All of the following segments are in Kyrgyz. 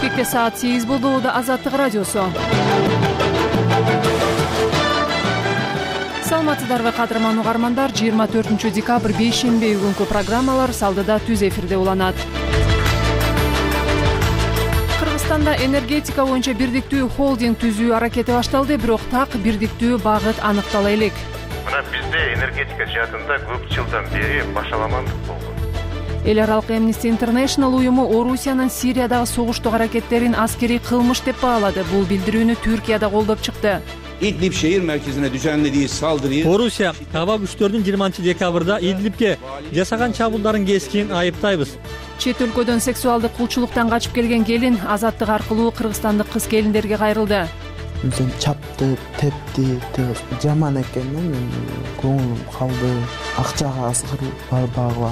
Бишкекте саат 8 болду. Да Азаттык радиосу. Саламатсыздарбы кадырман угармандар. 24 декабрь бейшемби күнкү программалар Салдыда түз эфирде уланат. Кыргызстанда энергетика боюнча бирдиктүү холдинг түзүү аракети башталды, бирок так бирдиктүү багыт аныктала элек. Мына бизде энергетика жаатында көп жылдан бери башаламандык болгон. Эл аралык Amnesty International уюму Орусиянын Сириядагы согуштук аракеттерин аскерий кылмыш деп баалады. Бул билдирүүнү Түркияда колдоп чыкты. İdlib şehir merkezine düzenlediği saldırıyı Орусия аба күчтөрүнүн 20 декабрда Идлибке жасаган чабуулдарын кескин айыптайбыз. Чет өлкөдөн сексуалдык кулчулуктан качып келген келин Азаттык аркылуу кыргызстандык кыз келиндерге кайрылды. Мен чапты, тепти, жаман экен, мен көңүлүм калды, акчага азгыруу барбагыла.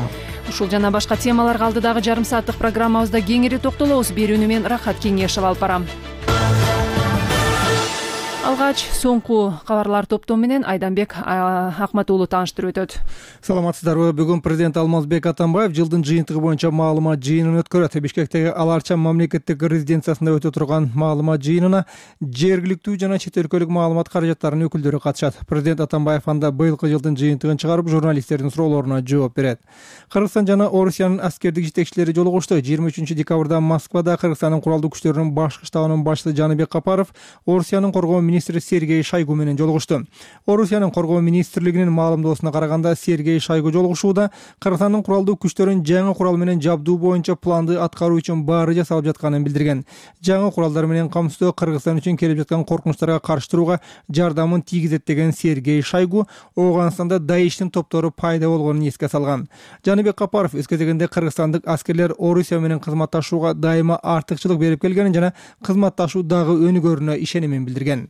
Ушул жана башка темаларга алдыдагы жарым сааттык программабызда кеңири токтолобуз. Берүүнү мен Рахат Кеңешев алып барам. Алгач соңку кабарлар топтому менен Айданбек Акматуулу тааныштырып өтөт. Саламатсыздарбы? Бүгүн президент Алмазбек Атамбаев жылдын жыйынтыгы боюнча маалымат жыйынын өткөрөт. Бишкектеги Ал Арча мамлекеттик резиденциясында өтө турган маалымат жыйынына жергиликтүү жана чет өлкөлүк маалымат каражаттарынын өкүлдөрү катышат. Президент Атамбаев анда быйылкы жылдын жыйынтыгын чыгарып, журналисттердин суроолоруна жооп берет. Кыргызстан жана Орусиянын аскердик жетекчилери жолугушту. 23 декабрда Москвада Кыргызстандын куралдуу күчтөрүнүн башкы штабынын башчысы Жаныбек Капаров Орусиянын коргоо министри Сергей Шойгу менен жолугушту. Орусиянын коргоо министрлигинин маалымдоосуна караганда, Сергей Шойгу жолугушууда Кыргызстандын куралдуу күчтөрүн жаңы курал менен жабдуу боюнча планды аткаруу үчүн баары жасалып жатканын билдирген. Жаңы куралдар менен камсыздоо Кыргызстан үчүн келип жаткан коркунучтарга каршы турууга жардамын тийгизет деген Сергей Шойгу Ооганстанда Даиштин топтору пайда болгонун эске салган. Жаныбек Капаров өз кезегинде кыргызстандык аскерлер Орусия менен кызматташууга дайыма артыкчылык берип келгенин жана кызматташуу дагы өнүгөрүнө ишенимин билдирген.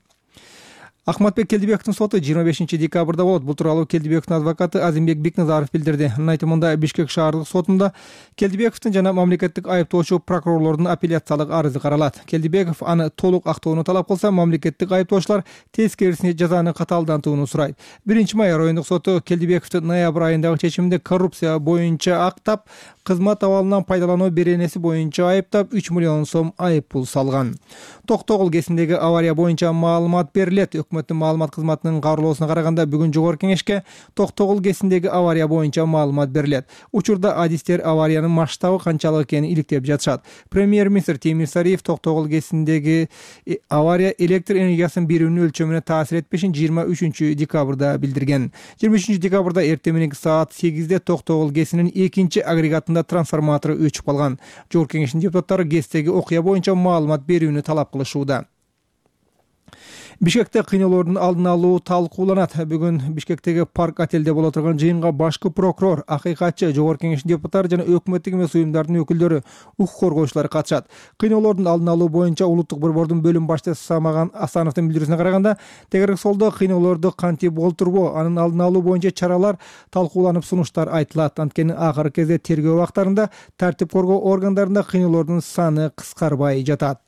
Ахматбек Келдибековдун соту 25 декабрда болот. Бул тууралуу Келдибековдун адвокаты Азимбек Бекназаров билдирди. Анын айтымында Бишкек шаардык сотунда Келдибековдун жана мамлекеттик айыптоочу прокурорлордун апелляциялык арызы каралат. Келдибеков аны толук актоону талап кылса, мамлекеттик айыптоочулар тескерисине жазаны катаалдантууну сурайт. 1-май райондук соту Келдибековду ноябрь айындагы чечиминде коррупция боюнча актап, кызмат абалынан пайдалануу беренеси боюнча айыптап 3 миллион сом айып пул салган. Токтогул кесиндеги авария боюнча маалымат берилет. Өкмөттүн маалымат кызматынын кабарлоосуна караганда, бүгүн жогорку кеңешке Токтогул кесиндеги авария боюнча маалымат берилет. Учурда адистер авариянын масштабы канчалык экенин иликтеп жатышат. Премьер-министр Темир Сариев Токтогул кесиндеги авария электр энергиясын берүүнүн өлчөмүнө таасир этпешин 23 декабрда билдирген. 23 декабрда эртең мененки саат 8-де Токтогул кесинин 2 агрегатында трансформатору өчүп калган. Жогорку кеңештин депутаттары кесиндеги окуя боюнча маалымат берүүнү талап кылышууда. Бишкекте кыйноолордун алдын алуу талкууланат. Бүгүн Бишкектеги парк отелде боло турган жыйынга башкы прокурор, акыйкатчы, жогорку кеңештин депутаттары жана өкмөттүк эмес уюмдардын өкүлдөрү, укук коргоочулар катышат. Кыйноолордун алдын алуу боюнча улуттук борбордун бөлүм башчысы Самаган Асановдун билдирүүсүнө караганда, тегерек солдо кыйноолорду кантип болтурбоо, анын алдын алуу боюнча чаралар талкууланып, сунуштар айтылат. Анткени акыркы кезде тергөө убактарында тартип коргоо органдарында кыйноолордун саны кыскарбай жатат.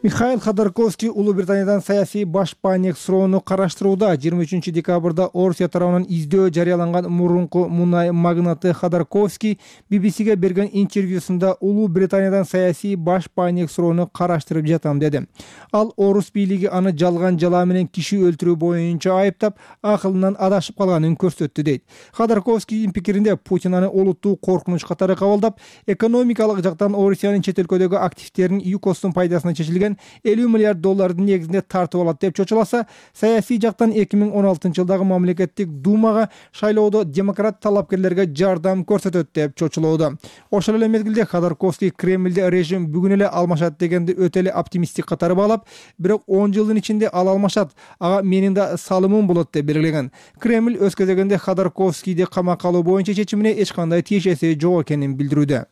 Михаил Ходорковский Улуу Британиядан саясий башпаанек суроону караштырууда. 23 декабрда Орусия тарабынан издөө жарыяланган мурунку мунай магнаты Ходорковский BBC-ге берген интервьюсунда Улуу Британиядан саясий башпаанек суроону караштырып жатам деди. Ал орус бийлиги аны жалган жала менен киши өлтүрүү боюнча айыптап, акылынан адашып калганын көрсөттү дейт. Ходорковскийдин пикиринде Путин аны олуттуу коркунуч катары кабылдап, экономикалык жактан Орусиянын чет өлкөдөгү активтерин ЮКОстун пайдасына чечилген $50 миллиард негизинде тартып алат деп чочуласа, саясий жактан 2016 жылдагы мамлекеттик думага шайлоодо демократ талапкерлерге жардам көрсөтөт деп чочулоодо. Ошол эле мезгилде Ходорковский Кремлде режим бүгүн эле алмашат дегенди өтө эле оптимисттик катары баалап, бирок 10 жылдын ичинде ал алмашат, ага менин да салымым болот деп белгилеген. Кремль өз кезегинде Ходорковскийди камакка алуу боюнча чечимине эч кандай тиешеси жок экенин билдирүүдө.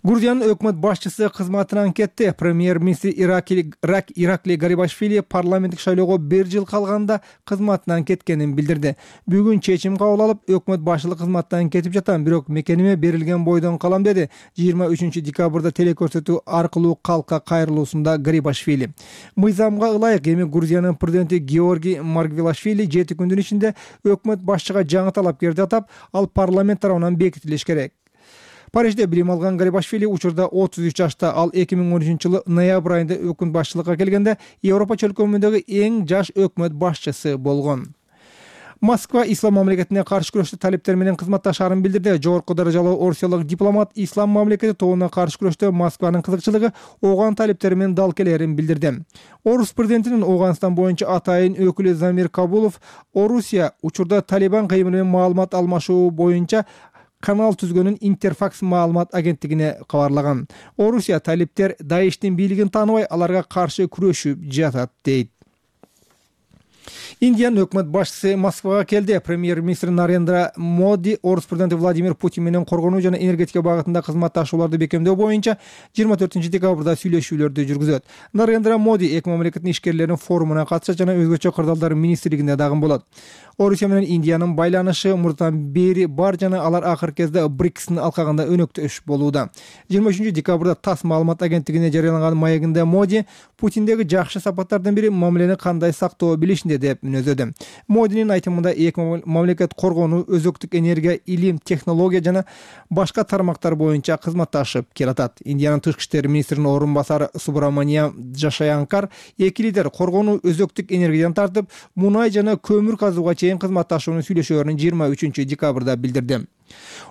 Грузиянын өкмөт башчысы кызматынан кетти. Премьер-министр Ираклий Гарибашвили парламенттик шайлоого 1 жыл калганда кызматынан кеткенин билдирди. Бүгүн чечим кабыл алып, өкмөт башчылык кызматтан кетип жатам, бирок мекениме берилген бойдон калам деди. 23 декабрда телекөрсөтүү аркылуу калкка кайрылуусунда Гарибашвили. Мыйзамга ылайык эми Грузиянын президенти Георгий Маргвелашвили 7 күндүн ичинде өкмөт башчыга жаңы талапкерди атап, ал парламент тарабынан бекитилиш керек. Парижде билим алган Гарибашвили учурда 33 жашта. Ал 2013-жылы ноябрь айында өкмөт башчылыкка келгенде Европа чөлкөмүндөгү эң жаш өкмөт башчысы болгон. Москва ислам мамлекетине каршы күрөштө талептер менен кызматташаарын билдирди. Жогорку даражалуу орусиялык дипломат ислам мамлекети тобуна каршы күрөштө Москванын кызыкчылыгы Ооган талептери менен дал келерин билдирди. Орус президентинин Ооганстан боюнча атайын өкүлү Замир Кабулов Орусия учурда Талибан кыймылы менен маалымат алмашуу боюнча канал түзгөнүн Интерфакс маалымат агенттигине кабарлаган. Орусия талептер Даиштин бийлигин тааныбай, аларга каршы күрөшүп жатат дейт. Индиянын өкмөт башчысы Москвага келди. Премьер-министр Нарендра Моди Орус президенти Владимир Путин менен коргонуу жана энергетика багытында кызматташууларды бекемдөө боюнча 24-декабрда сүйлөшүүлөрдү жүргүзөт. Нарендра Моди эки мамлекеттин ишкерлеринин форумуна катышат жана өзгөчө кырдаалдар министрлигинде дагы болот. Орусия менен Индиянын байланышы мурдан бери бар жана алар акыркы кезде БРИКСтин алкагында өнөктөш болууда. 23-декабрда ТАСС маалымат агенттигине жарыяланган маегинде Моди Путиндеги жакшы сапаттардын бири мамилени кандай сактоо билишинде деп мүнөздөдү. Модинин айтымында эки мамлекет коргонуу, өзөктүк энергия, илим, технология жана башка тармактар боюнча кызматташып келатат. Индиянын тышкы иштер министринин орун басары Субраманиям Джашаянкар эки лидер коргонуу, өзөктүк энергиядан тартып мунай жана көмүр казууга чейин кызматташууну сүйлөшөөрүн 23-декабрда билдирди.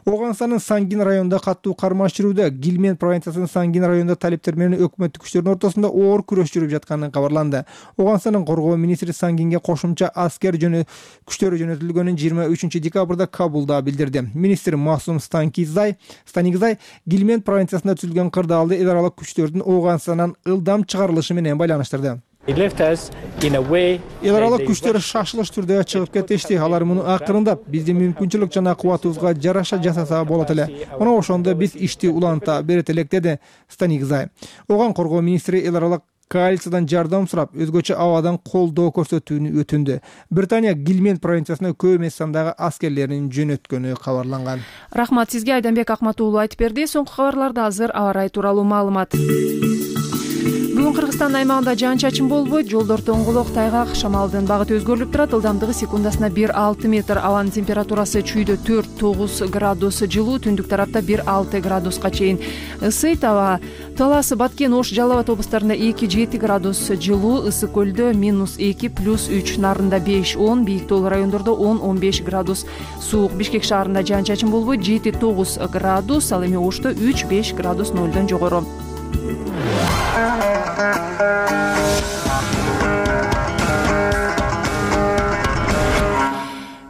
Ооганстандын Сангин районунда каттуу кармаш жүрүүдө. Гилмен провинциясынын Сангин районунда талептер менен өкмөттүк күчтөрдүн ортосунда оор күрөш жүрүп жатканы кабарланды. Ооганстандын коргоо министри Сангинге кошумча аскер күчтөрү жөнөтүлгөнүн 23-декабрда Кабулда билдирди. Министр Масум Станигзай Гилмен провинциясында түзүлгөн кырдаалды эл аралык күчтөрдүн Ооганстандан ылдам чыгарылышы менен байланыштырды. Эл аралык күчтөр шашылыш түрдө чыгып кетишти. Алар муну акырындап биздин мүмкүнчүлүк жана кубатыбызга жараша жасаса болот эле. Мына ошондо биз ишти уланта берет элек, деди Станигзай. Оган коргоо министри эл аралык коалициядан жардам сурап, өзгөчө абадан колдоо көрсөтүүнү өтүндү. Британия Гилмен провинциясына көп эмес сандагы аскерлерин жөнөткөнү кабарланган. Рахмат сизге, Айданбек Акматуулу айтып берди. Соңку кабарларда азыр аба ырайы тууралуу маалымат. Бүгүн Кыргызстан аймагында жаан-чачын болбойт, жолдор тоңголок, тайгак, шамалдын багыты өзгөрүлүп турат. Ылдамдыгы секундасына 1-6 метр. Абанын температурасы чүйдө 4-9 градус жылуу, түндүк тарапта 1-6 градуска чейин ысыйт. Аба Талас, Баткен, Ош, Жалал Абад облустарында 2-7 градус жылуу, Ысык көлдө -2 +3, Нарында 5-10, бийик тоолуу райондордо 10-15 градус суук. Бишкек шаарында жаан-чачын болбойт, 7-9 градус, ал эми Ошто 3-5 градус нөлдөн жогору.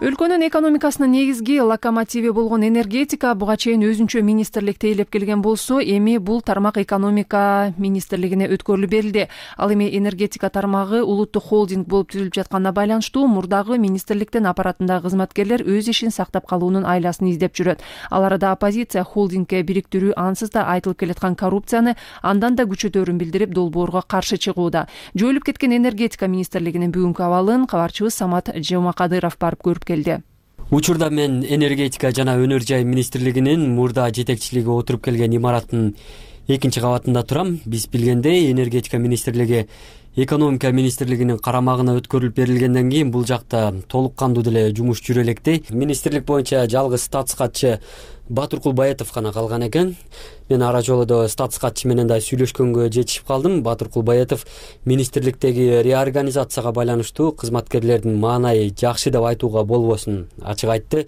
Өлкөнүн экономикасынын негизги локомотиви болгон энергетика буга чейин өзүнчө министрлик тейлеп келген болсо, эми бул тармак экономика министрлигине өткөрүлүп берилди. Ал эми энергетика тармагы улуттук холдинг болуп түзүлүп жатканына байланыштуу мурдагы министрликтин аппаратындагы кызматкерлер өз ишин сактап калуунун айласын издеп жүрөт. Ал арада оппозиция холдингге бириктирүү ансыз да айтылып келаткан коррупцияны андан да күчөтөөрүн билдирип, долбоорго каршы чыгууда. Жоюлуп кеткен энергетика министрлигинин бүгүнкү абалын кабарчыбыз Самат Жомакадыров барып көрүп келди. Учурда мен энергетика жана өнөр жай министрлигинин мурда жетекчилиги отуруп келген имараттын 2-чи кабатында турам. Биз билгендей, энергетика министрлиги экономика министрлигинин карамагына өткөрүлүп берилгенден кийин бул жакта толук кандуу деле жумуш жүрө электей. Министрлик боюнча жалгыз статс катчы Батыркул Баятов гана калган экен. Мен ара жолдо статс катчы менен да сүйлөшкөнгө жетишип калдым. Батыркул Баятов министрликтеги реорганизацияга байланыштуу кызматкерлердин маанайы жакшы деп айтууга болбосун ачык айтты.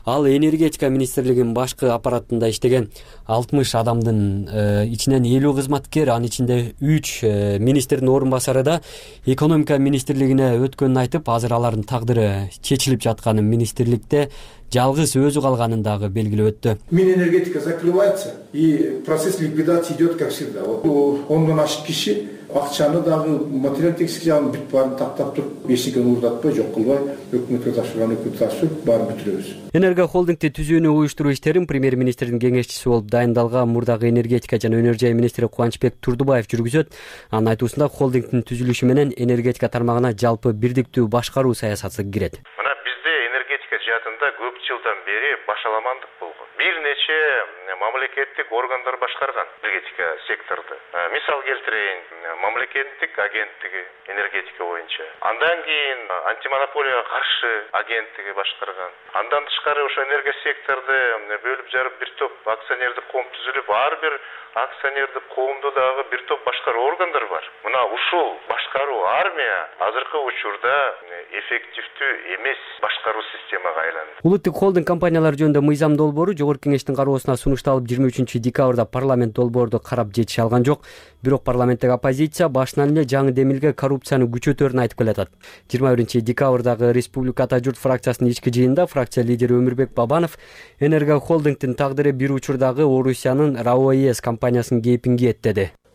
Ал энергетика министрлигинин башкы аппаратында иштеген 60 адамдын ичинен 50 кызматкер, анын ичинде 3 министрдин орун басары да экономика министрлигине өткөнүн айтып, азыр алардын тагдыры чечилип жатканын, министрликте жалгыз өзү калганын дагы белгилеп өттү. Минэнергетика закрывается и процесс ликвидации идет как всегда. Ондон ашык киши акчаны дагы материал-техник жагын бүт баарын тактап туруп, эчтекени уурдатпай, жок кылбай, өкмөткө тапшырган өкмөткө тапшырып баарын бүтүрөбүз. Энерго холдингти түзүүнү уюштуруу иштерин премьер-министрдин кеңешчиси болуп дайындалган мурдагы энергетика жана өнөр жай министри Кубанычбек Турдубаев жүргүзөт. Анын айтуусунда холдингдин түзүлүшү менен энергетика тармагына жалпы бирдиктүү башкаруу саясаты кирет. Мына бизде энергетика жаатында көп жылдан бери башаламандык болгон. Бир нече мамлекеттик органдар башкарган энергетика секторду. Мисал келтирейин, мамлекеттик агенттиги энергетика боюнча. Андан кийин антимонополияга каршы агенттиги башкарган. Андан тышкары ошо энергия секторду бөлүп жарып бир топ акционердик коом түзүлүп, ар бир акционердик коомдо дагы бир топ башкаруу органдар бар. Мына ушул башкаруу армия азыркы учурда эффективдүү эмес башкаруу системага айланды. Улуттук холдинг компаниялар жөнүндө мыйзам долбоору Жогорку Кеңештин кароосуна сунушталып 23-декабрда парламент долбоорду карап жетише алган жок. Бирок парламенттик оппозиция башынан эле жаңы демилге коррупцияны күчөтөрүн айтып келатат. 21-декабрдагы Республика Ата журт фракциясынын ички жыйынында фракция лидери Өмүрбек Бабанов Энерго холдингдин тагдыры бир учурдагы Орусиянын РАО-ЭС компаниясынын кейпин кийет.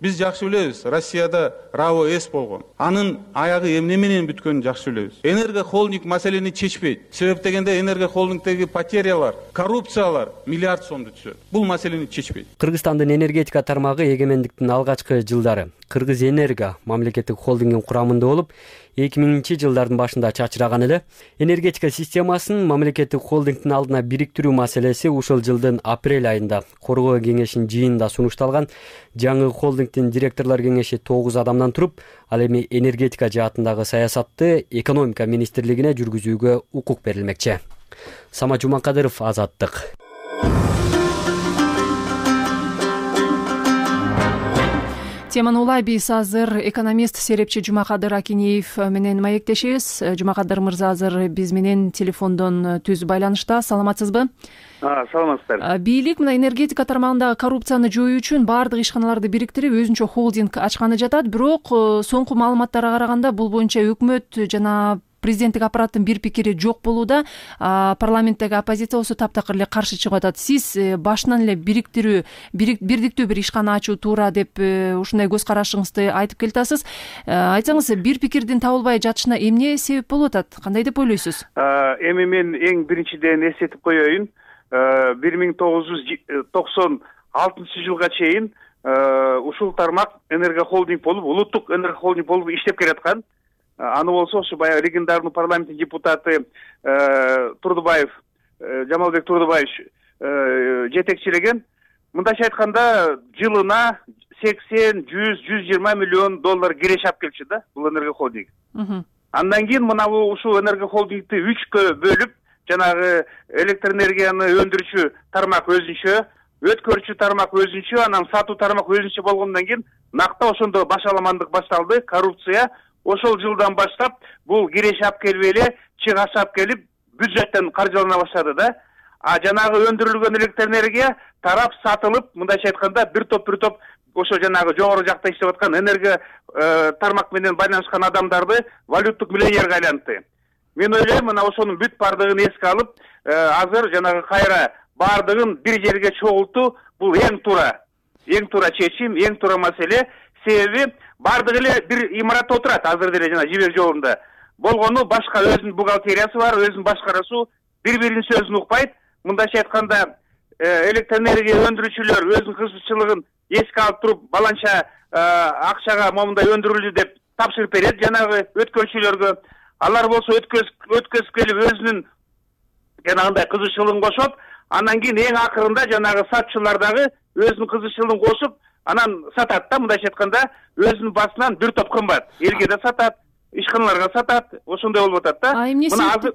Биз жакшы билебиз, Россияда РАО-ЭС болгон. Анын аягы эмне менен бүткөнүн жакшы билебиз. Энерго холдинг маселени чечпейт. Себеп дегенде Энерго холдингдеги потерялар, коррупциялар миллиард сомду түзөт. Бул маселени чечпейт. Кыргызстандын энергетика тармагы эгемендиктин алгачкы жылдары Кыргыз Энерго мамлекеттик холдингдин курамында болуп, 2000-жылдардын башында чачыраган эле. Энергетика системасын мамлекеттик холдингдин алдына бириктирүү маселеси ушул жылдын апрель айында Коргоо кеңешинин жыйынында сунушталган. Жаңы холдингдин директорлор кеңеши 9 адамдан туруп, ал эми энергетика жаатындагы саясатты экономика министрлигине жүргүзүүгө укук берилмекчи. Самат Жумакадыров, Азаттык. Теманы улай биз азыр экономист серепчи Жумакадыр Акинеев менен маектешебиз. Жумакадыр мырза азыр биз менен телефондон түз байланышта. Саламатсызбы? Саламатсыздар. Бийлик мына энергетика тармагындагы коррупцияны жоюу үчүн баардык ишканаларды бириктирип өзүнчө холдинг ачканы жатат. Бирок соңку маалыматтарга караганда бул боюнча өкмөт жана президенттик аппараттын бир пикири жок болууда. Парламенттеги оппозиция болсо таптакыр эле каршы чыгып атат. Сиз башынан эле бирдиктүү бир ишкана ачуу туура деп ушундай көз карашыңызды айтып келатасыз. Айтсаңыз, бир пикирдин табылбай жатышына эмне себеп болуп атат? Кандай деп ойлойсуз? Эми мен эң биринчиден эсетип коеюн. 1996 жылга чейин ушул тармак Энерго холдинг болуп, улуттук Энерго холдинг болуп иштеп келаткан. Аны болсо ошо баягы легендарный парламенттин депутаты Турдубаев, Жамалбек Турдубаевич жетекчилеген. Мындайча айтканда, жылына 80, 100, 120 миллион доллар киреше алып келчү да бул Энерго холдинг. Андан кийин мына ушул Энерго холдингди 3кө бөлүп, жанагы электр энергияны өндүрүүчү тармак өзүнчө, өткөрүүчү тармак өзүнчө, анан сатуу тармак өзүнчө болгондон кийин накта ошондо башаламандык башталды, коррупция. Ошол жылдан баштап бул киреше алып келбей эле, чыгаш алып келип, бюджеттен каржылана баштады да. Жанагы өндүрүлгөн электр энергия тарап сатылып, мындайча айтканда бир топ ошо жанагы жогору жакта иштеп аткан энерго тармак менен байланышкан адамдарды валюттук миллионерге айлантты. Мен ойлойм, мына ошонун бүт бардыгын эске алып, азыр жанагы кайра бардыгын бир жерге чогултуу бул эң туура чечим, эң туура маселе. Себеби бардыгы эле бир имаратта отурат азыр деле жана жибек жолунда. Болгону башка өзүнүн бухгалтериясы бар, өзүнүн башкарасу, бири-биринин сөзүн укпайт. Мындайча айтканда, электр энергия өндүрүүчүлөр өзүнүн кызыкчылыгын эске алып туруп, баланча акчага момундай өндүрүлдү деп тапшырып берет жанагы өткөрүүчүлөргө. Алар болсо өткөзүп келип өзүнүн жанагындай кызыкчылыгын кошот. Андан кийин эң акырында жанагы сатчылар дагы өзүнүн кызыкчылыгын кошуп, анан сатат да, мындайча айтканда, өзүнүн басынан бир топ кымбат. Элге да сатат, ишканаларга сатат, ошондой болуп атат да. Мына азыр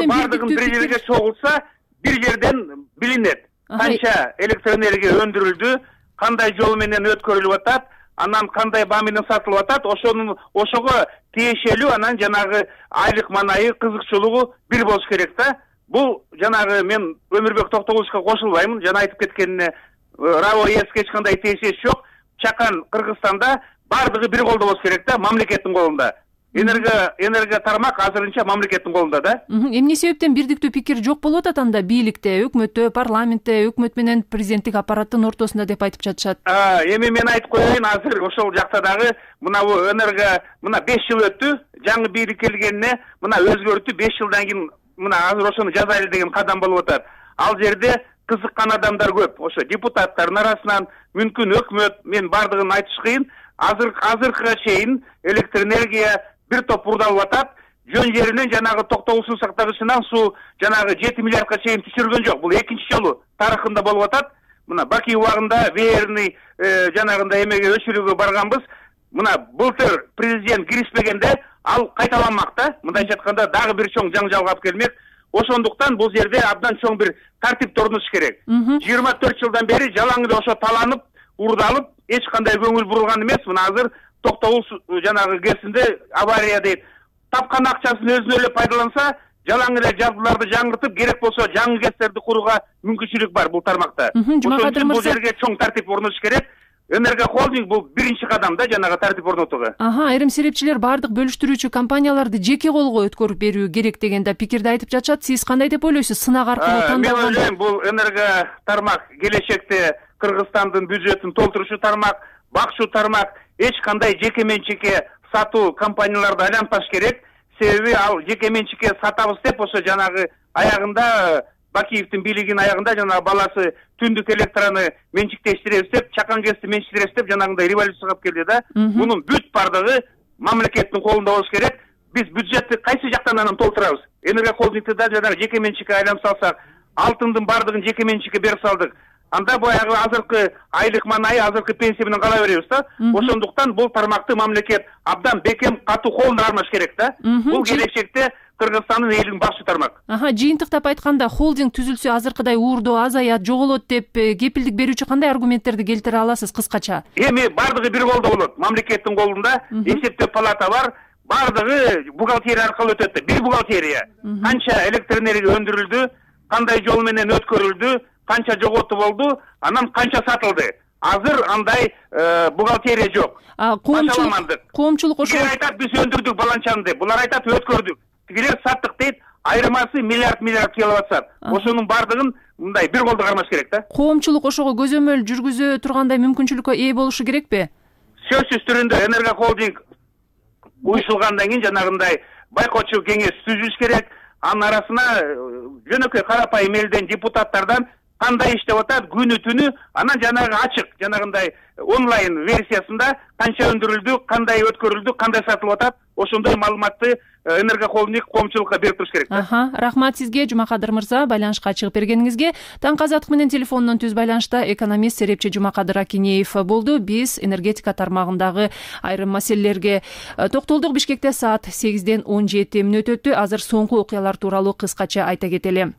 бардыгын бир жерге чогулса, бир жерден билинет. Канча электр энергия өндүрүлдү, кандай жол менен өткөрүлүп атат, анан кандай баа менен сатылып атат, ошого тиешелүү анан жанагы айлык манайы, кызыкчылыгы бир болуш керек да. Бул жанагы мен Өмүрбек Токтогуловичка кошулбаймын, жана айтып кеткенине РАО-ЭСке эч кандай тиешеси жок. Чакан Кыргызстанда бардыгы бир колдо болуш керек да, мамлекеттин колунда. Энерго тармак азырынча мамлекеттин колунда да. Эмне себептен бирдиктүү пикир жок болуп атат анда бийликте, өкмөттө, парламентте, өкмөт менен президенттик аппараттын ортосунда деп айтып жатышат? Эми мен айтып коеюн, азыр ошол жакта дагы мына энерго 5 жыл өттү, жаңы бийлик келгенине мына өзгөртүп 5 жылдан кийин мына азыр ошону жазайлы деген кадам болуп атат. Ал жерде кызыккан адамдар көп. Ошо депутаттардын арасынан мүмкүн өкмөт, мен бардыгын айтыш кыйын. Азыркыга чейин электр энергия бир топ урдалып атат. жөн жеринен жанагы токтогул суу сактагычынан суу жанагы 7 миллиардка чейин түшүргөн жок. Бул экинчи жолу тарыхында болуп атат. Мына Баки убагында веерный жанагындай эмеге өчүрүүгө барганбыз. Мына былтыр президент киришпегенде ал кайталанмак да. Мындайча айтканда дагы бир чоң жаңжалга алып келмек. Ошондуктан бул жерде абдан чоң бир тартип орнотуш керек. 24 жылдан бери жалаң эле ошо таланып, урдалып, эч кандай көңүл бурулган эмес. Мына азыр токтогул жанагы кезинде авария дейт. Тапкан акчасын өзүнө эле пайдаланса, жалаң эле жабдууларды жаңыртып, керек болсо жаңы КЭСтерди курууга мүмкүнчүлүк бар бул тармакта. Жумакадыр Бул мырза, жерге чоң тартип орнотуш керек. Энергохолдинг бул биринчи кадам да жанагы тартип орнотууга. Айрым серепчилер бардык бөлүштүрүүчү компанияларды жеке колго өткөрүп берүү керек деген да пикирди айтып жатышат. Сиз кандай деп ойлойсуз? Сынак аркылуу тандалган. Мен ойлойм, бул энерго тармак келечекте Кыргызстандын бюджетин толтурушу тармак, бакчуу тармак, эч кандай жеке менчикке сатуу компанияларды айлантпаш керек. Себеби ал жеке менчикке сатабыз деп ошо жанагы аягында Бакиевдин бийлигинин аягында жанагы баласы түндүк электроны менчиктештиребиз деп, чакан КЭСти менчиктиребиз деп жанагындай революцияга алып келди да. Мунун бүт бардыгы мамлекеттин колунда болуш керек. Биз бюджетти кайсы жактан анан толтурабыз? Энергохолдингди да жанагы жеке менчикке айланып салсак, алтындын бардыгын жеке менчикке берип салдык. Анда баягы азыркы айлык манайы, азыркы пенсия менен кала беребиз да. Ошондуктан бул тармакты мамлекет абдан бекем катуу колуна кармаш керек да. Бул келечекте Кыргызстандын элин бакчу тармак. Жыйынтыктап айтканда, холдинг түзүлсө азыркыдай уурдоо азаят, жоголот деп кепилдик берүүчү кандай аргументтерди келтире аласыз кыскача? Эми бардыгы бир колдо болот. Мамлекеттин колунда эсептөө палата бар. Бардыгы бухгалтерия аркылуу өтөт. Бир бухгалтерия. Канча электр энергия өндүрүлдү, кандай жол менен өткөрүлдү, канча жоготу болду, анан канча сатылды. Азыр андай бухгалтерия жок. Коомчулук ошо айтат, биз өндүрдүк баланчаны деп. Булар айтат, өткөрдүк. Тигилер саттык дейт, айырмасы миллиард киловатт. Ошонун бардыгын мындай бир колдо кармаш керек да. Коомчулук ошого көзөмөл жүргүзө тургандай мүмкүнчүлүккө ээ болушу керекпи? Сөзсүз түрүндө энергохолдинг уюшулгандан кийин жанагындай байкоочу кеңеш түзүлүш керек. Анын арасына жөнөкөй карапайым элден, депутаттардан кандай иштеп атат, күнү түнү, анан жанагы ачык, жанагындай онлайн версиясында канча өндүрүлдү, кандай өткөрүлдү, кандай сатылып атат, ошондой маалыматты энергохолдинг коомчулукка берип туруш керек да. Рахмат сизге, Жумакадыр мырза, байланышка чыгып бергениңизге. Таңкы азаттык менен телефондон түз байланышта экономист серепчи Жумакадыр Акинеев болду. Биз энергетика тармагындагы айрым маселелерге токтолдук. Бишкекте саат 8-ден 17 мүнөт өттү. Азыр соңку окуялар тууралуу кыскача айта кетели.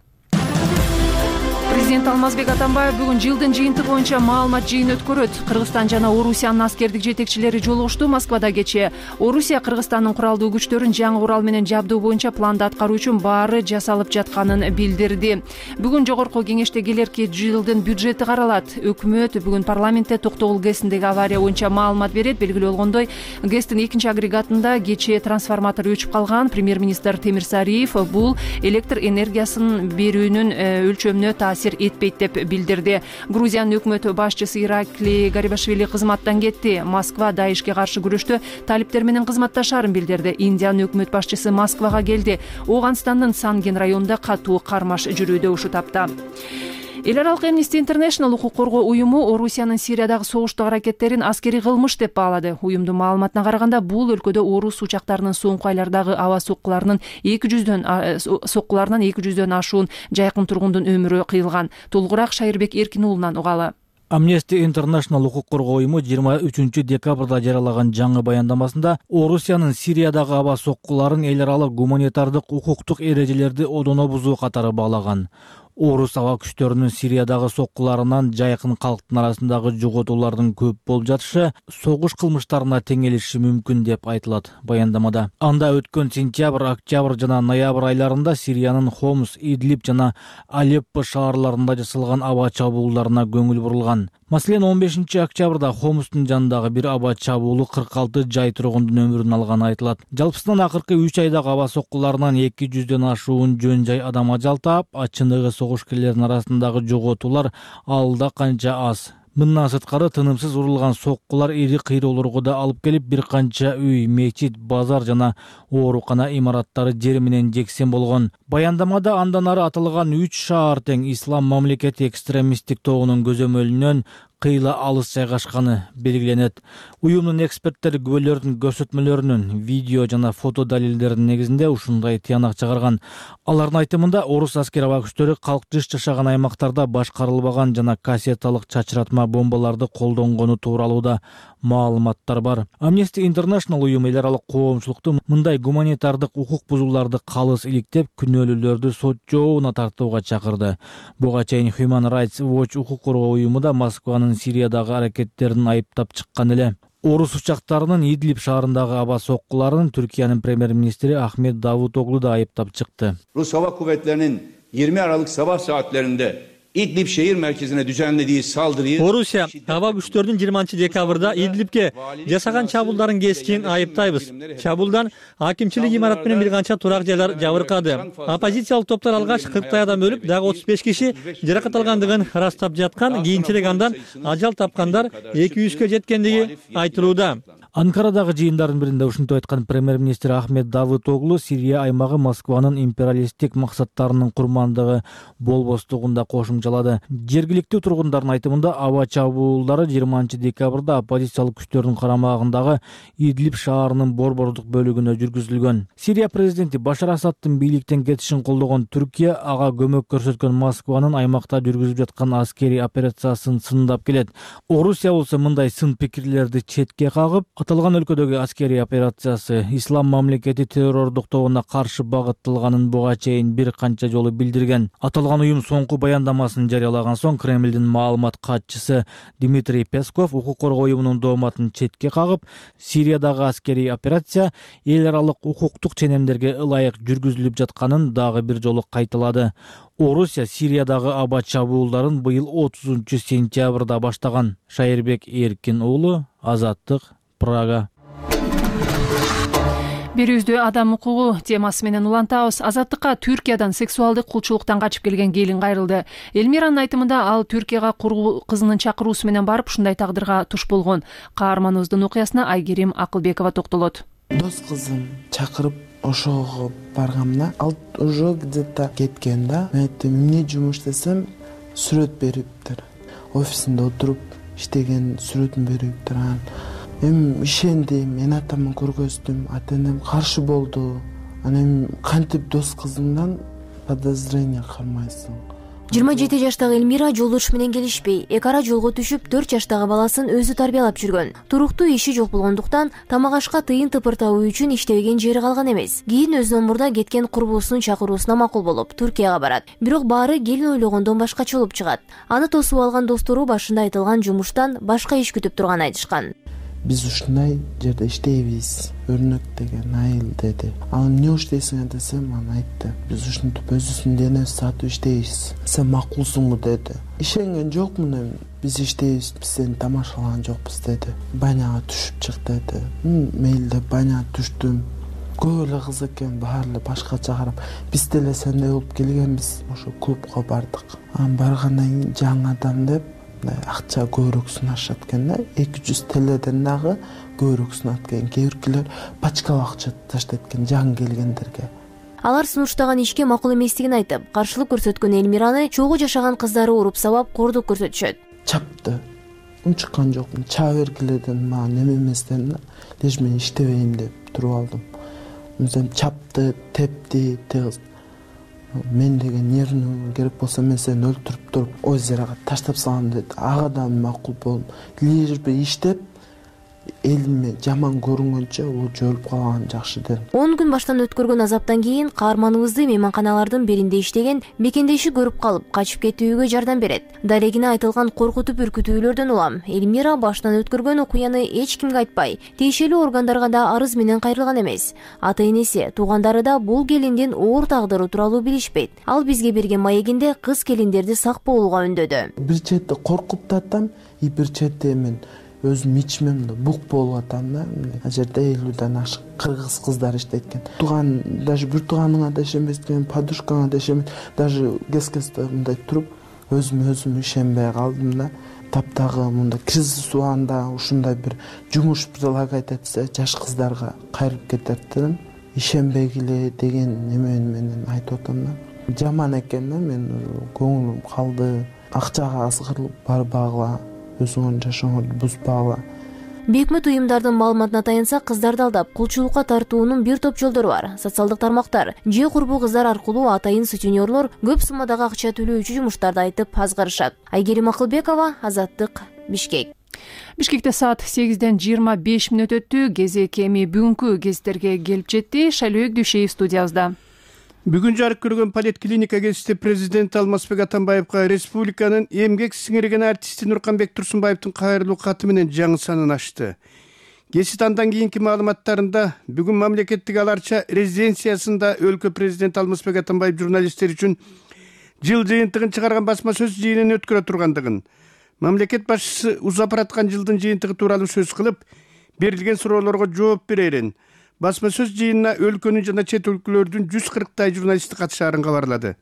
Президент Алмазбек Атамбаев бүгүн жылдын жыйынтыгы боюнча маалымат жыйын өткөрөт. Кыргызстан жана Орусиянын аскердик жетекчилери жолугушту. Москвада кечээ Орусия Кыргызстандын куралдуу күчтөрүн жаңы курал менен жабдуу боюнча планды аткаруу үчүн баары жасалып жатканын билдирди. Бүгүн жогорку кеңеште келерки жылдын бюджети каралат. Өкмөт бүгүн парламентте токтогул ГЭСиндеги авария боюнча маалымат берет. Белгилүү болгондой, ГЭСтин экинчи агрегатында кечээ трансформатор өчүп калган. Премьер-министр Темирсариев бул электр энергиясын берүүнүн өлчөмүнө таасир этпейт деп билдирди. Грузиянын өкмөт башчысы Иракли Гарибашвили кызматтан кетти. Москва Даишке каршы күрөштө талиптер менен кызматташарын билдирди. Индиянын өкмөт башчысы Москвага келди. Оганстандын Санген районунда катуу кармаш жүрүүдө ушул тапта. Эл аралык Amnesty International укук коргоо уюму Орусиянын Сириядагы согуштук аракеттерин аскерий кылмыш деп баалады. Уюмдун маалыматына караганда, бул өлкөдө орус учактарынын соңку айлардагы аба соккуларынан 200дөн ашуун жайкын тургундун өмүрү кыйылган. Толугураак Шайырбек Эркин уулунан угалы. Amnesty International укук коргоо уюму 23 декабрда жарыялаган жаңы баяндамасында Орусиянын Сириядагы аба соккуларын эл аралык гуманитардык укуктук эрежелерди одоно бузуу катары баалаган. Орус аба күчтөрүнүн Сириядагы соккуларынан жайкын калктын арасындагы жоготуулардын көп болуп жатышы согуш кылмыштарына теңелиши мүмкүн деп айтылат баяндамада. Анда өткөн сентябрь, октябрь жана ноябрь айларында Сириянын Хомс, Идлиб жана Алеппо шаарларында жасалган аба чабуулдарына көңүл бурулган. Маселен, 15 октябрда Хомстун жанындагы бир аба чабуулу 46 жай тургундун өмүрүн алганы айтылат. Жалпысынан акыркы 3 айдагы аба соккуларынан 200дөн ашуун жөн жай адам ажал таап, ачыныгы согушкерлердин арасындагы жоготуулар алда канча аз. Мындан сырткары тынымсыз урулган соккулар ири кыйроолорго да алып келип, бир канча үй, мечит, базар жана оорукана имараттары жер менен жексен болгон. Баяндамада андан ары аталган 3 шаар тең ислам мамлекети экстремисттик тобунун көзөмөлүнөн кыйла алыс жайгашканы белгиленет. Уюмдун эксперттери күбөлөрдүн көрсөтмөлөрүнүн видео жана фото далилдеринин негизинде ушундай тыянак чыгарган. Алардын айтымында орус аскер аба күчтөрү калк жыш жашаган аймактарда башкарылбаган жана кассеталык чачыратма бомбаларды колдонгону тууралуу да маалыматтар бар. Amnesty International уюму эл аралык коомчулукту мындай гуманитардык укук бузууларды калыс иликтеп, күнөөлүүлөрдү сот жообуна тартууга чакырды. Буга чейин Human Rights Watch укук коргоо уюму да Москванын Сириядагы аракеттерин айыптап чыккан эле. Орус учактарынын Идлиб шаарындагы аба соккуларын Түркиянын премьер-министри Ахмет Давутоглу да айыптап чыкты. Rus Hava Kuvvetleri'nin 20 Aralık sabah saatlerinde İdlib şehir merkezine düzenlediği saldırıyı Орусия аба күчтөрүнүн 20-декабрда Идлибке жасаган чабуулдарын кескин айыптайбыз. Чабуулдан акимчилик имарат менен бир канча турак жайлар жабыркады. Оппозициялык топтор алгач 40 адам өлүп, дагы 35 киши жаракат алгандыгын ырастап жаткан, кийинчерээк андан ажал тапкандар 200-кө жеткендиги айтылууда. Анкарадагы жыйындардын биринде ушинтип айткан премьер-министр Ахмет Давутоглу Сирия аймагы Москванын империалисттик максаттарынын курмандыгы болбостугунда кошумчалады. Жергиликтүү тургундардын айтымында аба чабуулдары 20-декабрда оппозициялык күчтөрдүн карамагындагы Идлиб шаарынын борбордук бөлүгүнө жүргүзүлгөн. Сирия президенти Башар Асаддын бийликтен кетишин колдогон Түркия ага көмөк көрсөткөн Москванын аймакта жүргүзүп жаткан аскерий операциясын сындап келет. Орусия болсо мындай сын пикирлерди четке кагып, аталган өлкөдөгү аскерий операциясы ислам мамлекети террордук тобуна каршы багытталганын буга чейин бир канча жолу билдирген. Аталган уюм соңку баяндамасын жарыялаган соң Кремлдин маалымат катчысы Дмитрий Песков укук коргоо уюмунун дооматын четке кагып, Сириядагы аскерий операция эл аралык укуктук ченемдерге ылайык жүргүзүлүп жатканын дагы бир жолу кайталады. Орусия Сириядагы аба чабуулдарын быйыл 30-сентябрда баштаган. Шайырбек Эркин уулу, Азаттык, Прага. Берүүбүздү адам укугу темасы менен улантабыз. Азаттыкка Түркиядан сексуалдык кулчулуктан качып келген келин кайрылды. Элмиранын айтымында ал Түркияга кургу кызынын чакыруусу менен барып ушундай тагдырга туш болгон. Каарманыбыздын окуясына Айгерим Акылбекова токтолот. Дос кызым чакырып ошого баргамда ал уже где-то кеткен да. Мен айттым, эмне жумуш десем, сүрөт бериптир. Офисинде отуруп иштеген сүрөтүн бериптир. Эми ишендим, мен атамын көргөздүм, ата-энем каршы болду. Анан кантип дос кызыңдан подозрение кылмайсың? 27 жаштагы Элмира жолдошу менен келишпей, эки ара жолго түшүп 4 жаштагы баласын өзү тарбиялап жүргөн. Туруктуу иши жок болгондуктан тамак ашка тыйын тыпыр табуу үчүн иштебеген жери калган эмес. Кийин өзүнөн мурда кеткен курбусунун чакыруусуна макул болуп Түркияга барат. Бирок баары келин ойлогондон башкача болуп чыгат. Аны тосуп алган достору башында айтылган жумуштан башка иш күтүп турганын айтышкан. Биз ушундай жерде иштейбиз, өрнөк деген айыл деди. Ал эмне иштейсиң десем, аны айтты. Биз ушинтип өзүбүздүн денебизди сатып иштейбиз. Сен макулсуңбу деди. Ишенген жокмун эми. Биз иштейбиз, биз сени тамашалаган жокпуз деди. Баняга түшүп чык деди. Мейли деп баняга түштүм. Көп эле кыз экен, баары эле башкача карап, биз деле сендей болуп келгенбиз. Ошо клубка бардык. Анан баргандан кийин жаңы адам деп акча көбүрөөк сунашат экен да, 200 теледен дагы көбүрөөк сунат экен. Кээ биркилер пачкалап акча таштайт экен жаңы келгендерге. Алар сунуштаган ишке макул эместигин айтып, каршылык көрсөткөн Элмираны чогуу жашаган кыздары уруп сабап кордук көрсөтүшөт. Чапты. Унчуккан жокмун. Чаа бергилерден мага неме эместен лишь мен иштебейм деп туруп алдым. Мындан чапты, тепти, тез. Мен деген нервный керек болсо мен сени өлтүрүп туруп озерага таштап салам деди. Ага да макул болдум. Лишь бир иштеп элиме жаман көрүнгөнчө ол жөлүп калган жакшы дедим. 10 күн баштан өткөргөн азаптан кийин каарманыбызды мейманканалардын биринде иштеген мекендеши көрүп калып, качып кетүүгө жардам берет. Дарегине айтылган коркутуп үркүтүүлөрдөн улам Элмира баштан өткөргөн окуяны эч кимге айтпай, тиешелүү органдарга да арыз менен кайрылган эмес. Ата-энеси, туугандары да бул келиндин оор тагдыры тууралуу билишпейт. Ал бизге берген маегинде кыз келиндерди сак болууга үндөдү. Бир четте коркуп да атам, бир четте мен өзүм ичмемде бук болуп атам да. Ал жерде 50ден ашык кыргыз кыздар иштейт экен. Туган, даже бир тууганыңа да ишенбейт экен, подушкаңа да ишенбейт. Даже кескесте мындай туруп өзүм ишенбей калдым да. Таптагы мында кризис убагында ушундай бир жумуш предлагать этсе, жаш кыздарга кайрып кетет дедим. Ишенбегиле деген неме менен айтып атам да. Жаман экен да, мен көңүлүм калды. Акчага азгырылып барбагыла өзүңөрдүн жашооңорду бузбагыла. Бейөкмөт уюмдардын маалыматына таянсак, кыздарды алдап кулчулукка тартуунун бир топ жолдору бар. Социалдык тармактар же курбу кыздар аркылуу атайын сутенерлор көп суммадагы акча төлөөчү жумуштарды айтып азгарышат. Айгерим Акылбекова, Азаттык, Бишкек. Бишкекте саат 8-ден 25 мүнөт өттү. Кезек эми бүгүнкү гезиттерге келип жетти. Шайлөөк Дүйшеев студиябызда. Бүгүн жарык көргөн поликлиника гезити президент Алмазбек Атамбаевга республиканын эмгек сиңирген артисти Нурканбек Турсунбаевдин кайрылуу каты менен жаңы санын ачты. Гезит андан кийинки маалыматтарында бүгүн мамлекеттик аларча резиденциясында өлкө президент Алмазбек Атамбаев журналисттер үчүн жыл жыйынтыгын чыгарган басма сөз жыйынын өткөрө тургандыгын, мамлекет башчысы узап бараткан жылдын жыйынтыгы тууралуу сөз кылып, берилген суроолорго жооп берерин, басма сөз жыйынына өлкөнүн жана чет өлкөлөрдүн 140 журналисти катышаарын кабарлады.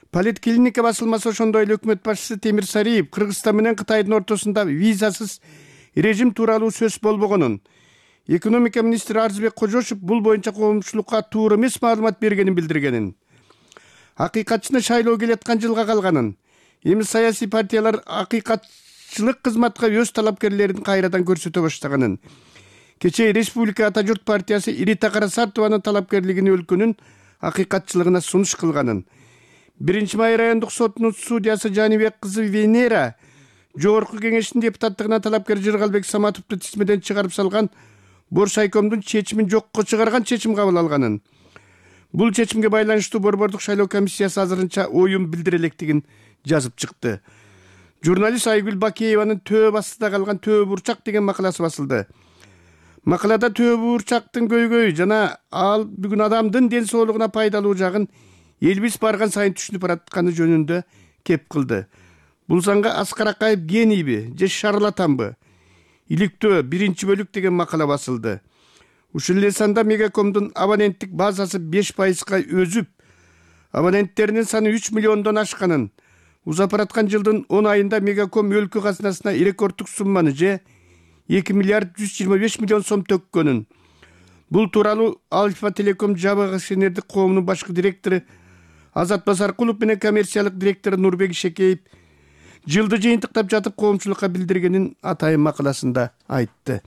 Поликлиника басылмасы ошондой эле өкмөт башчысы Темир Сариев Кыргызстан менен Кытайдын ортосунда визасыз режим тууралуу сөз болбогонун, экономика министри Арзыбек Кожошев бул боюнча коомчулукка туура эмес маалымат бергенин билдиргенин, акыйкатчыны шайлоо келаткан жылга калганын, эми саясий партиялар акыйкатчылык кызматка өз талапкерлерин кайрадан көрсөтө баштаганын, кечээ Республика Ата журт партиясы Ирита Карасартованын талапкерлигин өлкөнүн акыйкатчылыгына сунуш кылганын, 1-май райондук сотунун судьясы Жанибек кызы Венера жогорку кеңештин депутаттыгына талапкер Жыргалбек Саматовду тизмеден чыгарып салган Боршайкомдун чечимин жокко чыгарган чечим кабыл алганын, бул чечимге байланыштуу Борбордук шайлоо комиссиясы азырынча оюн билдире электигин жазып чыкты. Журналист Айгүл Бакееванын Төө астында калган Төө бурчак деген макаласы басылды. Макалада Төө бурчактын көйгөйү жана ал бүгүн адамдын ден соолугуна пайдалуу жагын элибиз барган сайын түшүнүп баратканы жөнүндө кеп кылды. Бул санга Аскар Акаев генийби же шарлатанбы? Иликтөө 1-бөлүк деген макала басылды. Ушул эле санда Мегакомдун абоненттик базасы 5%га өзүп, абоненттеринин саны 3 миллиондон ашканын, узап бараткан жылдын 10 айында Мегаком өлкө казынасына рекорддук сумманы же 2 миллиард 125 миллион сом төккөнүн. Бул тууралуу Альфа Телеком жабык акционердик коомунун башкы директору Азат Басаркулов менен коммерциялык директору Нурбек Шекеев жылды жыйынтыктап жатып коомчулукка билдиргенин атайын макаласында айтты.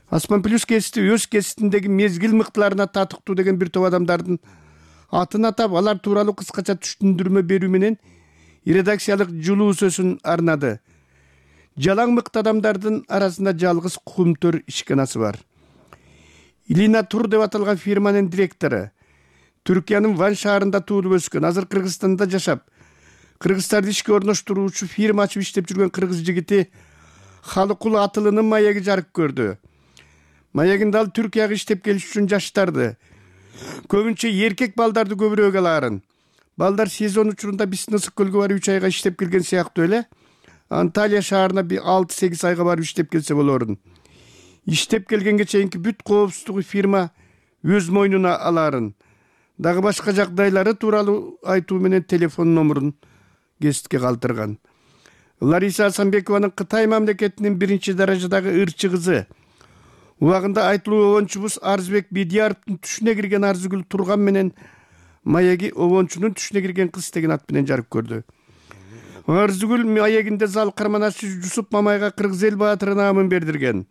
Асман Плюс гезити өз гезитиндеги мезгил мыктыларына татыктуу деген бир топ адамдардын атын атап, алар тууралуу кыскача түшүндүрмө берүү менен редакциялык жылуу сөзүн арнады. Жалаң мыкты адамдардын арасында жалгыз Кумтөр ишканасы бар. Илина Тур деп аталган фирманын директору, Түркиянын Ван шаарында туулуп өскөн, азыр Кыргызстанда жашап, кыргыздарды ишке орноштуруучу фирма ачып иштеп жүргөн кыргыз жигити Халыкул Атылынын маеги жарык көрдү. Маегинде ал Түркияга иштеп келиш үчүн жаштарды, көбүнчө эркек балдарды көбүрөөк алаарын. Балдар сезон учурунда биздин ысык көлгө барып 3 айга иштеп келген сыяктуу эле Анталия шаарына 6-8 айга барып иштеп келсе болорун. Иштеп келгенге чейинки бүт коопсуздугу фирма өз мойнуна алаарын. Дагы башка жагдайлары тууралуу айтуу менен телефон номурун гезитке калтырган. Лариса Асанбекованын Кытай мамлекетинин 1-даражадагы ырчы кызы, убагында айтылуу обончубуз Арзыбек Бидияровдун түшүнө кирген Арзыгүл Турган менен маеги обончунун түшүнө кирген кыз деген ат менен жарык көрдү. Арзыгүл маегинде зал карманашчы Жусуп Мамайга Кыргыз эл баатыры наамын бердирген.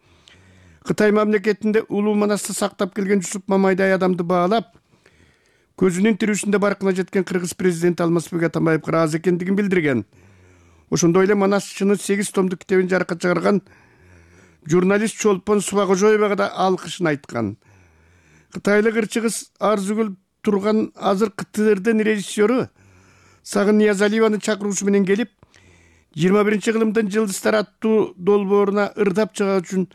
Кытай мамлекетинде улуу манасты сактап келген Жусуп Мамайдай адамды баалап, көзүнүн тирүүсүндө баркына жеткен кыргыз президенти Алмазбек Атамбаев ыраазы экендигин билдирген. Ошондой эле манасчынын 8 томдук китебин жарыкка чыгарган журналист Чолпон Субагожоевага да алкышын айткан. Кытайлык ырчы кыз Арзыгүл Турган азыр КТРдын режиссеру Сагын Ниязалиеванын чакыруусу менен келип, 21-кылымдын жылдыздар аттуу долбооруна ырдап чыгаа үчүн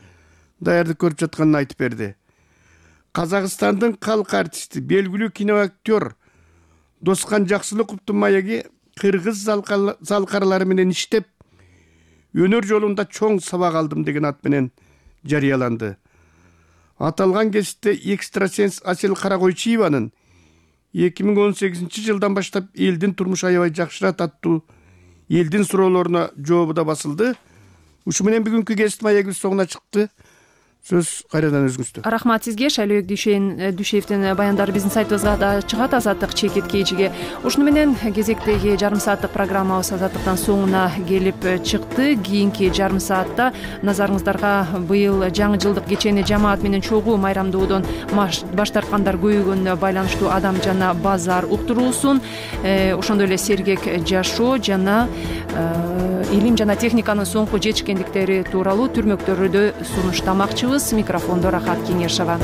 даярдык көрүп жатканын айтып берди. Казакстандын калк артисти, белгилүү киноактер Доскан Жаксылыковдун маеги кыргыз залкарлары менен иштеп, өнөр жолунда чоң сабак алдым деген ат менен жарыяланды. Аталган гезитте экстрасенс Асел Каракойчиеванын 2018 жылдан баштап элдин турмуш аябай жакшырат аттуу элдин суроолоруна жообу да басылды. Ушу менен бүгүнкү гезит маегибиз соңуна чыкты. сөз кайрадан өзүңүздө. Рахмат сизге. Шайлообек Дүйшеевдин баяндары биздин сайтыбызга да чыгат, Азаттык чекит кечиге. Ушуну менен кезектеги жарым сааттык программабыз Азаттыктан соңуна келип чыкты. Кийинки жарым саатта назарыңыздарга быйыл жаңы жылдык кечени жамаат менен чогуу майрамдоодон баш тарткандар көбөйгөнүнө байланыштуу адам жана базар уктуруусун, ошондой эле сергек жашоо жана илим жана техниканын соңку жетишкендиктери тууралуу түрмөктөрдү сунуштамакчыбыз. Микрофондо Рахат Кеңешова.